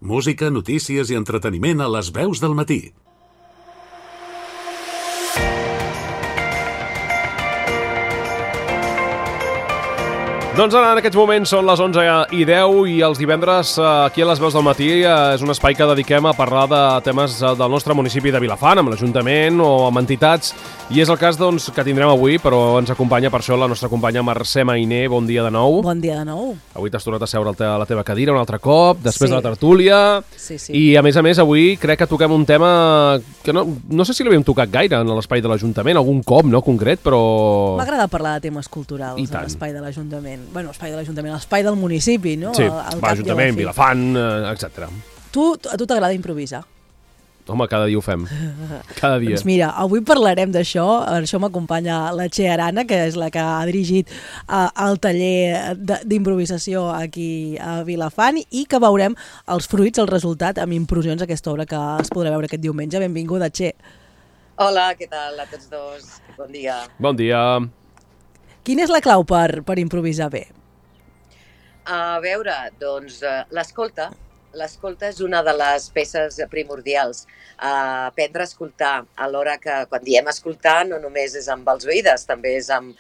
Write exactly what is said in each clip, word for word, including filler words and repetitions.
Música, notícies i entreteniment a les veus del matí. Doncs ara, en aquests moments, són les onze i deu i els divendres aquí a les veus del matí és un espai que dediquem a parlar de temes del nostre municipi de Vilafant, amb l'Ajuntament o amb entitats, i és el cas doncs, que tindrem avui, però ens acompanya per això la nostra companya Mercè Mainer. Bon dia de nou. Bon dia de nou. Avui t'has tornat a seure a la teva cadira un altre cop, després sí. de la tertúlia, sí, sí. i a més a més avui crec que toquem un tema que no, no sé si l'havíem tocat gaire en l'espai de l'Ajuntament, algun cop, no concret, però... M'agrada parlar de temes culturals a l'espai de l'Ajuntament. Bueno, l'espai de l'Ajuntament, l'espai del municipi, no? Sí, l'Ajuntament, Vilafant, etcètera. Tu, a tu t'agrada improvisar? Home, cada dia ho fem. Cada dia. Doncs mira, avui parlarem d'això. Això m'acompanya la Txell Arana, que és la que ha dirigit uh, el taller d'improvisació aquí a Vilafant, i que veurem els fruits, el resultat, amb improvisacions d'aquesta obra que es podrà veure aquest diumenge. Benvinguda, Txell. Hola, què tal a tots dos? Bon dia. Bon dia. Quina és la clau per, per improvisar bé? A veure, doncs, l'escolta. L'escolta és una de les peces primordials. Uh, aprendre a escoltar, alhora que quan diem escoltar no només és amb els oïdes, també és amb,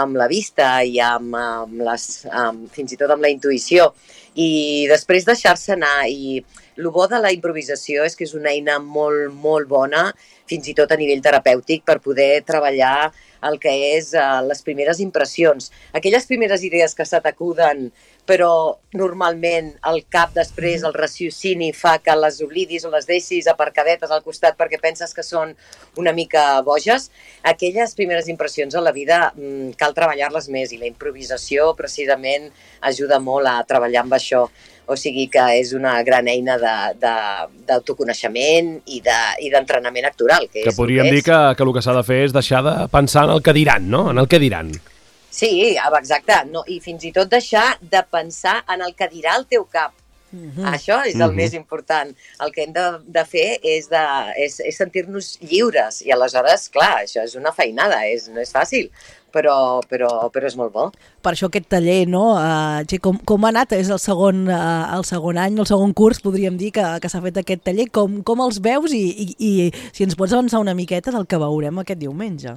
amb la vista i amb, amb les, amb, fins i tot amb la intuïció. I després deixar-se anar. I el bo de la improvisació és que és una eina molt, molt bona, fins i tot a nivell terapèutic, per poder treballar el que és uh, les primeres impressions. Aquelles primeres idees que se t'acuden, però normalment el cap després, el raciocini, fa que les oblidis o les deixis aparcadetes al costat perquè penses que són una mica boges. Aquelles primeres impressions a la vida mmm, cal treballar-les més, i la improvisació precisament ajuda molt a treballar amb això. O sigui que és una gran eina d'autoconeixement i d'entrenament de, actoral. Que, que és podríem que dir que, que el que s'ha de fer és deixar de pensar en el que diran, no? En el que diran. Sí, exacte. No, i fins i tot deixar de pensar en el que dirà el teu cap. Uh-huh. Això és el uh-huh. més important. El que hem de, de fer és, de, és, és sentir-nos lliures. I aleshores, clar, això és una feinada, és, no és fàcil, però, però, però és molt bo. Per això aquest taller, no? Uh, com, com ha anat? És el segon, uh, el segon any, el segon curs, podríem dir, que, que s'ha fet aquest taller. Com, com els veus i, i, i si ens pots avançar una miqueta del que veurem aquest diumenge?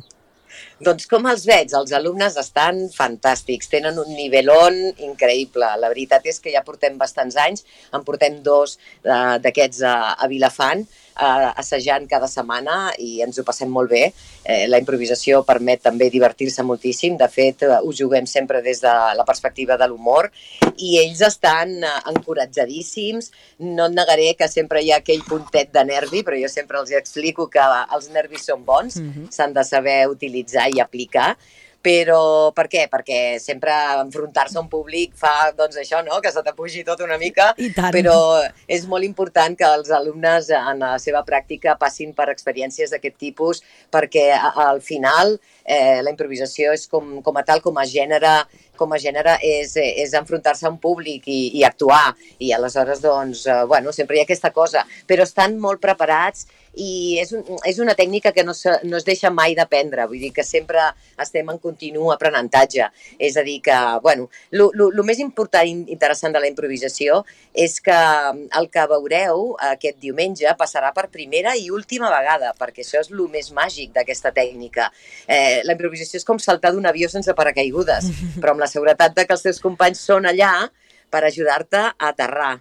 Doncs com els veig, els alumnes estan fantàstics, tenen un nivelón increïble. La veritat és que ja portem bastants anys, en portem dos uh, d'aquests a, a Vilafant, uh, assajant cada setmana, i ens ho passem molt bé. Eh, la improvisació permet també divertir-se moltíssim. De fet, uh, ho juguem sempre des de la perspectiva de l'humor, i ells estan uh, encoratjadíssims. No et negaré que sempre hi ha aquell puntet de nervi, però jo sempre els explico que els nervis són bons, mm-hmm. s'han de saber utilitzar i aplicar. Però per què? Perquè sempre enfrontar-se a un públic fa, doncs això, no?, que se t'apugi tot una mica, però és molt important que els alumnes en la seva pràctica passin per experiències d'aquest tipus, perquè al final eh, la improvisació és com, com a tal, com a gènere, com a gènere és, és enfrontar-se a un públic i, i actuar, i aleshores, doncs, eh, bueno, sempre hi ha aquesta cosa, però estan molt preparats, i és, un, és una tècnica que no, se, no es deixa mai d'aprendre, vull dir que sempre estem en continu aprenentatge. És a dir que, bueno, el més important i interessant de la improvisació és que el que veureu aquest diumenge passarà per primera i última vegada, perquè això és el més màgic d'aquesta tècnica. Eh, la improvisació és com saltar d'un avió sense paracaigudes, però amb la seguretat de que els teus companys són allà per ajudar-te a aterrar.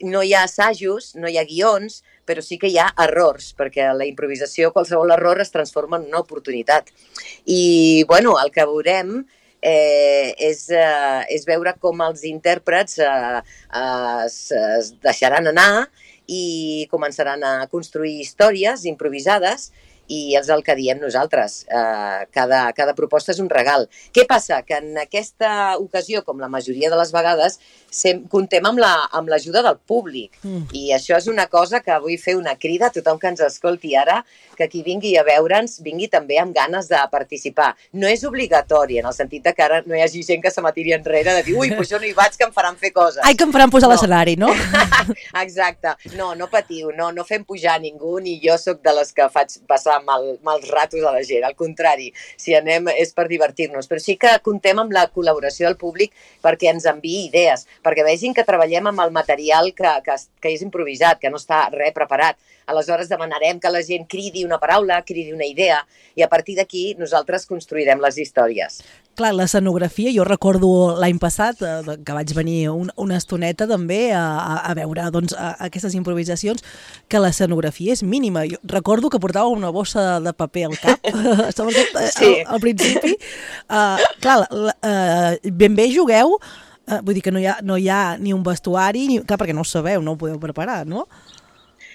No hi ha assajos, no hi ha guions, però sí que hi ha errors, perquè la improvisació, qualsevol error es transforma en una oportunitat. I, bueno, el que veurem eh, és, eh, és veure com els intèrprets eh, es, es deixaran anar i començaran a construir històries improvisades, i és el que diem nosaltres. Eh, cada, cada proposta és un regal. Què passa? Que en aquesta ocasió, com la majoria de les vegades, sem, contem amb l'ajuda la, del públic. Mm. I això és una cosa que vull fer una crida a tothom que ens escolti ara, que qui vingui a veure'ns vingui també amb ganes de participar. No és obligatori, en el sentit que ara no hi hagi gent que se m'atiri enrere de dir ui, pues jo no hi vaig, que em faran fer coses. Ai, que em faran posar no. l'escenari, no? Exacte. No, no patiu, no, no fem pujar ningú, ni jo sóc de les que faig passar posar mal, mals ratos a la gent, al contrari, si anem és per divertir-nos, però sí que comptem amb la col·laboració del públic perquè ens enviï idees, perquè vegin que treballem amb el material que, que, que és improvisat, que no està res preparat. Aleshores demanarem que la gent cridi una paraula, cridi una idea, i a partir d'aquí nosaltres construirem les històries. Clar, l'escenografia, jo recordo l'any passat eh, que vaig venir un, una estoneta també a, a veure doncs, a, a aquestes improvisacions, que l'escenografia és mínima. Jo recordo que portava una bossa de paper al cap, sobretot sí. al, al principi. Uh, clar, la, uh, ben bé jugueu, uh, vull dir que no hi ha, no hi ha ni un vestuari, ni, clar, perquè no ho sabeu, no ho podeu preparar, no?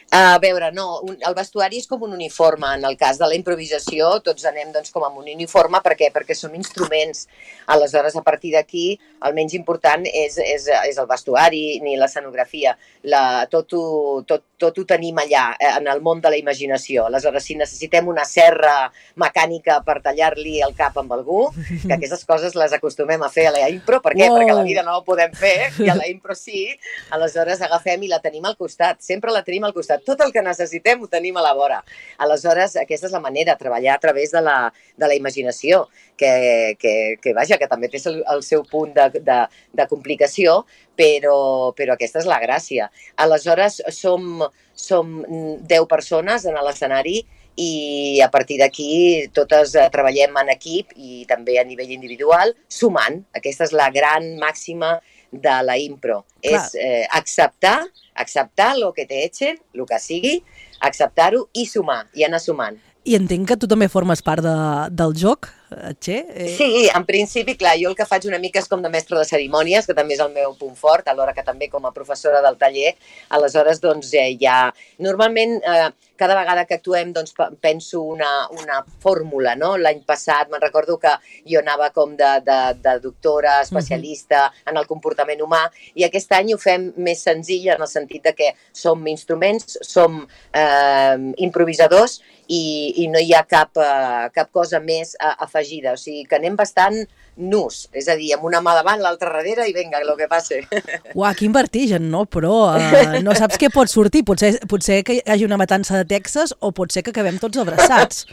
A veure, no, un, el vestuari és com un uniforme. En el cas de la improvisació tots anem doncs, com amb un uniforme. Per què? Perquè som instruments. Aleshores, a partir d'aquí, el menys important és, és, és el vestuari ni l'escenografia. La, tot, ho, tot, tot ho tenim allà, en el món de la imaginació. Aleshores, si necessitem una serra mecànica per tallar-li el cap amb algú, que aquestes coses les acostumem a fer a la impro. Per què? Wow. Perquè a la vida no ho podem fer, i a la impro sí. Aleshores, agafem i la tenim al costat. Sempre la tenim al costat. Tot el que necessitem ho tenim a la vora. Aleshores, aquesta és la manera, treballar a través de la, de la imaginació, que, que, que, vaja, que també té el, el seu punt de, de, de complicació, però, però aquesta és la gràcia. Aleshores, som, som deu persones en l'escenari i a partir d'aquí totes treballem en equip i també a nivell individual, sumant. Aquesta és la gran màxima de la impro. Clar. És eh, acceptar, acceptar el que te echen, el que sigui, acceptar-ho i sumar, i anar sumant. I entenc que tu també formes part de, del joc, Txé? Eh... Sí, en principi, clar, jo el que faig una mica és com de mestre de cerimònies, que també és el meu punt fort, alhora que també com a professora del taller. Aleshores, doncs, eh, ja... Normalment, eh, cada vegada que actuem, doncs, penso una, una fórmula, no? L'any passat me'n recordo que jo anava com de, de, de doctora, especialista uh-huh. en el comportament humà, i aquest any ho fem més senzill en el sentit de que som instruments, som eh, improvisadors, i, i no hi ha cap, uh, cap cosa més uh, afegida. O sigui, que anem bastant nus, és a dir, amb una mà davant, l'altra darrere i vinga, lo que passe. Uau, quin vertigen, no? Però uh, no saps què pot sortir. Potser, potser que hi hagi una matança de Texas o potser que acabem tots abraçats.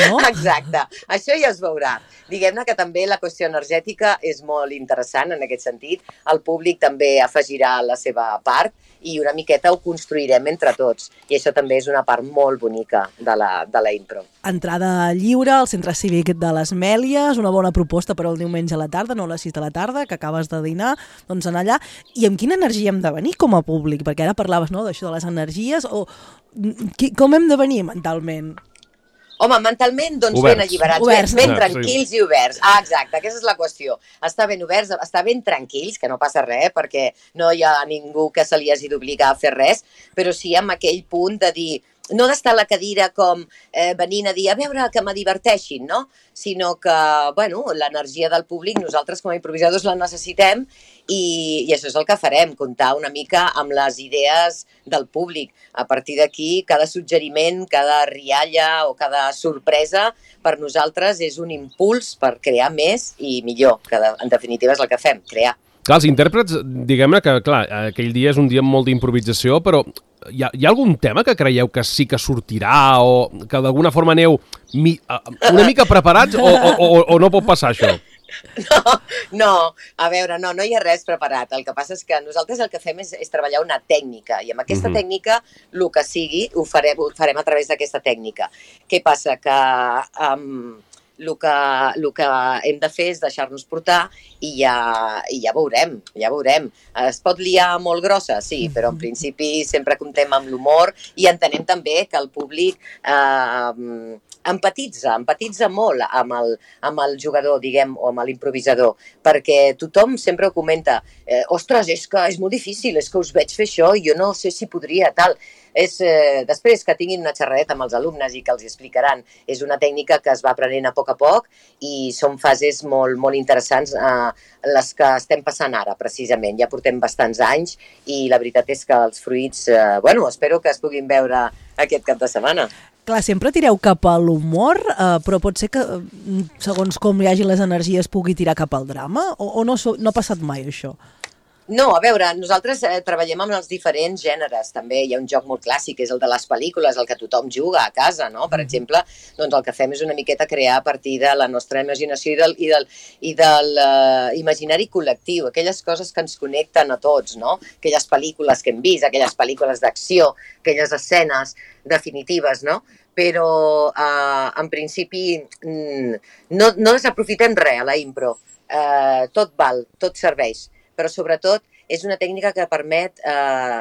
No? Exacte, això ja es veurà. Diguem-ne que també la qüestió energètica és molt interessant en aquest sentit. El públic també afegirà la seva part i una miqueta ho construirem entre tots. I això també és una part molt bonica de la, de la impro. Entrada lliure al Centre Cívic de les Mèlies, una bona proposta per al diumenge a la tarda, no a les sis de la tarda, que acabes de dinar, doncs anar allà. I amb quina energia hem de venir com a públic? Perquè ara parlaves, no?, d'això de les energies, o com hem de venir mentalment? Home, mentalment, doncs oberts. ben alliberats, Oberts, ben, ben no? tranquils i oberts. Ah, exacte, aquesta és la qüestió. Estar ben oberts, estar ben tranquils, que no passa res, perquè no hi ha ningú que se li hagi d'obligar a fer res, però sí amb aquell punt de dir, no d'estar a la cadira com eh, venint a dir, a veure, que me diverteixin, no? Sinó que, bueno, l'energia del públic, nosaltres com a improvisadors la necessitem i, i això és el que farem, comptar una mica amb les idees del públic. A partir d'aquí, cada suggeriment, cada rialla o cada sorpresa per nosaltres és un impuls per crear més i millor, que en definitiva és el que fem, crear. Clar, els intèrprets, diguem-ne que, clar, aquell dia és un dia amb molt d'improvisació, però hi ha, hi ha algun tema que creieu que sí que sortirà o que d'alguna forma aneu mi, una mica preparats o, o, o, o no pot passar això? No, no, a veure, no, no hi ha res preparat. El que passa és que nosaltres el que fem és, és treballar una tècnica i amb aquesta uh-huh. tècnica, el que sigui, ho farem, ho farem a través d'aquesta tècnica. Què passa? Que... Um, El que, el que hem de fer és deixar-nos portar i ja, i ja veurem, ja veurem. Es pot liar molt grossa, sí, però en principi sempre comptem amb l'humor i entenem també que el públic eh, empatitza, empatitza molt amb el, amb el jugador, diguem, o amb l'improvisador, perquè tothom sempre ho comenta, eh, ostres, és que és molt difícil, és que us veig fer això i jo no sé si podria, tal. És, eh, després que tinguin una xerradeta amb els alumnes i que els explicaran, és una tècnica que es va aprenent a poc a poc i són fases molt, molt interessants eh, les que estem passant ara, precisament. Ja portem bastants anys i la veritat és que els fruits, eh, bueno, espero que es puguin veure aquest cap de setmana. Clar, sempre tireu cap a l'humor, eh, però pot ser que, segons com hi hagi les energies, pugui tirar cap al drama? O, o no, no ha passat mai això? No, a veure, nosaltres eh, treballem amb els diferents gèneres, també hi ha un joc molt clàssic, que és el de les pel·lícules, el que tothom juga a casa, no? Per exemple, doncs el que fem és una miqueta crear a partir de la nostra imaginació i del, i del, i del uh, imaginari col·lectiu, aquelles coses que ens connecten a tots, no? Aquelles pel·lícules que hem vist, aquelles pel·lícules d'acció, aquelles escenes definitives, no? Però uh, en principi no, no desaprofitem res a la impro, uh, tot val, tot serveix, però sobretot és una tècnica que permet eh,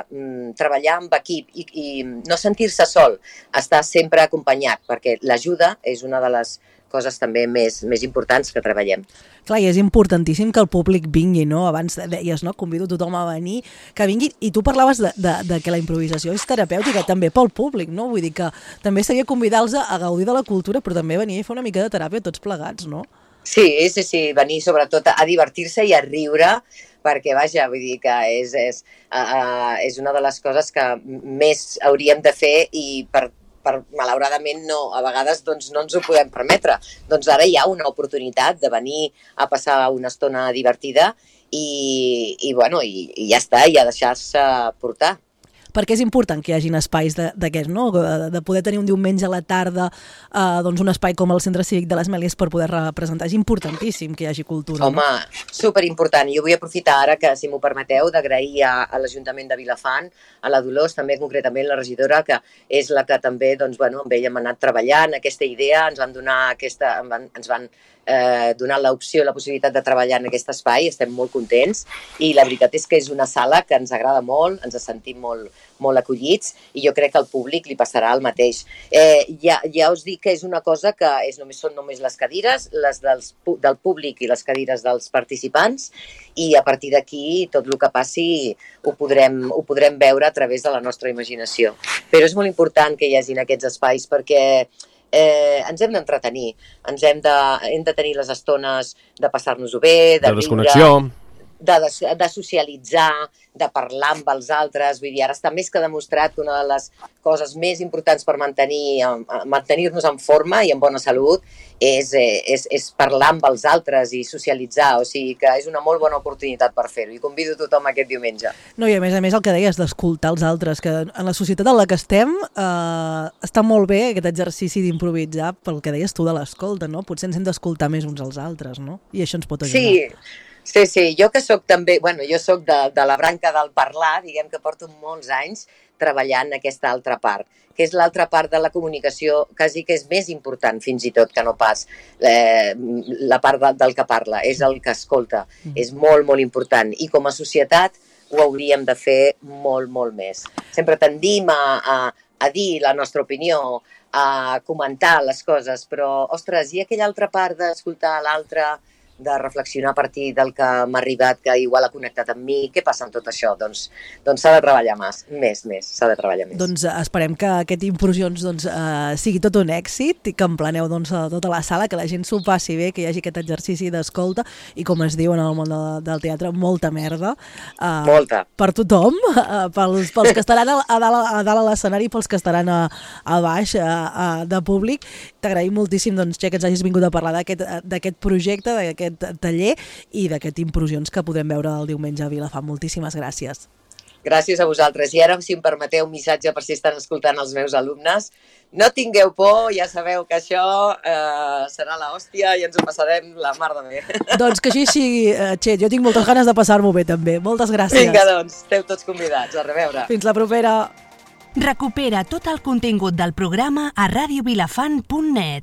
treballar amb equip i, i no sentir-se sol, estar sempre acompanyat, perquè l'ajuda és una de les coses també més, més importants que treballem. Clar, i és importantíssim que el públic vingui, no? Abans deies, no? Convido tothom a venir, que vingui, i tu parlaves de, de, de que la improvisació és terapèutica també pel públic, no? Vull dir que també seria convidar-los a gaudir de la cultura, però també venir a fer una mica de teràpia tots plegats, no? Sí, sí, sí, venir sobretot a divertir-se i a riure, perquè, vaja, vull dir que és, és, uh, és una de les coses que més hauríem de fer i per, per malauradament no, a vegades doncs, no ens ho podem permetre. Doncs ara hi ha una oportunitat de venir a passar una estona divertida i, i, bueno, i, i ja està, i a deixar-se portar. Perquè és important que hi hagin espais d'aquests, no? De poder tenir un diumenge a la tarda eh, doncs un espai com el Centre Cívic de les Mèlies per poder representar. És importantíssim que hi hagi cultura. Home, no? Superimportant. Jo vull aprofitar ara que, si m'ho permeteu, d'agrair a, a l'Ajuntament de Vilafant, a la Dolors, també concretament la regidora, que és la que també, doncs, bueno, amb ella hem anat treballant aquesta idea, ens van donar aquesta, ens van eh, donar l'opció, la possibilitat de treballar en aquest espai, estem molt contents i la veritat és que és una sala que ens agrada molt, ens sentim molt, molt acollits i jo crec que al públic li passarà el mateix. Eh, ja, ja us dic que és una cosa que és només, són només les cadires, les dels, del públic i les cadires dels participants i a partir d'aquí tot el que passi ho podrem, ho podrem veure a través de la nostra imaginació. Però és molt important que hi hagin aquests espais perquè eh, ens hem d'entretenir, ens hem de, hem de tenir les estones de passar-nos-ho bé, de, de desconnexió, de, de, de socialitzar, de parlar amb els altres. Vull dir, ara està més que demostrat que una de les coses més importants per mantenir, mantenir-nos en forma i en bona salut és, és, és parlar amb els altres i socialitzar, o sigui que és una molt bona oportunitat per fer-ho i convido tothom aquest diumenge. No, i a més a més el que deies d'escoltar els altres, que en la societat en la que estem eh, està molt bé aquest exercici d'improvisar pel que deies tu de l'escolta, no? Potser ens hem d'escoltar més uns als altres, no? I això ens pot ajudar. Sí, sí, sí, jo que soc també, bueno, jo soc de, de la branca del parlar, diguem que porto molts anys treballant aquesta altra part, que és l'altra part de la comunicació, quasi que és més important fins i tot que no pas eh, la part de, del que parla, és el que escolta, mm. és molt, molt important i com a societat ho hauríem de fer molt, molt més. Sempre tendim a, a, a dir la nostra opinió, a comentar les coses, però, ostres, i aquella altra part d'escoltar l'altre, de reflexionar a partir del que m'ha arribat, que igual ha connectat amb mi, què passa amb tot això? Doncs doncs s'ha de treballar més, més, més, s'ha de treballar més. Doncs esperem que aquest Implosions doncs, eh, sigui tot un èxit i que empleneu doncs, a tota la sala, que la gent s'ho passi bé, que hi hagi aquest exercici d'escolta i, com es diu en el món de, del teatre, molta merda. Eh, molta. Per tothom, eh, pels, pels que estaran a, a, dalt, a dalt a l'escenari i pels que estaran a, a baix a, a, de públic. T'agraïm moltíssim, doncs, Txell, que ens hagis vingut a parlar d'aquest projecte, d'aquest taller i d'aquest Implosions que podrem veure el diumenge a Vilafant. Moltíssimes gràcies. Gràcies a vosaltres. I ara, si em permeteu un missatge per si estan escoltant els meus alumnes, no tingueu por, ja sabeu que això eh, serà l'hòstia i ens ho passarem la mar de bé. Doncs que així sigui, Txell. Jo tinc moltes ganes de passar-m'ho bé, també. Moltes gràcies. Vinga, doncs, esteu tots convidats. A reveure. Fins la propera. Recupera tot el contingut del programa a radio vilafant punt net.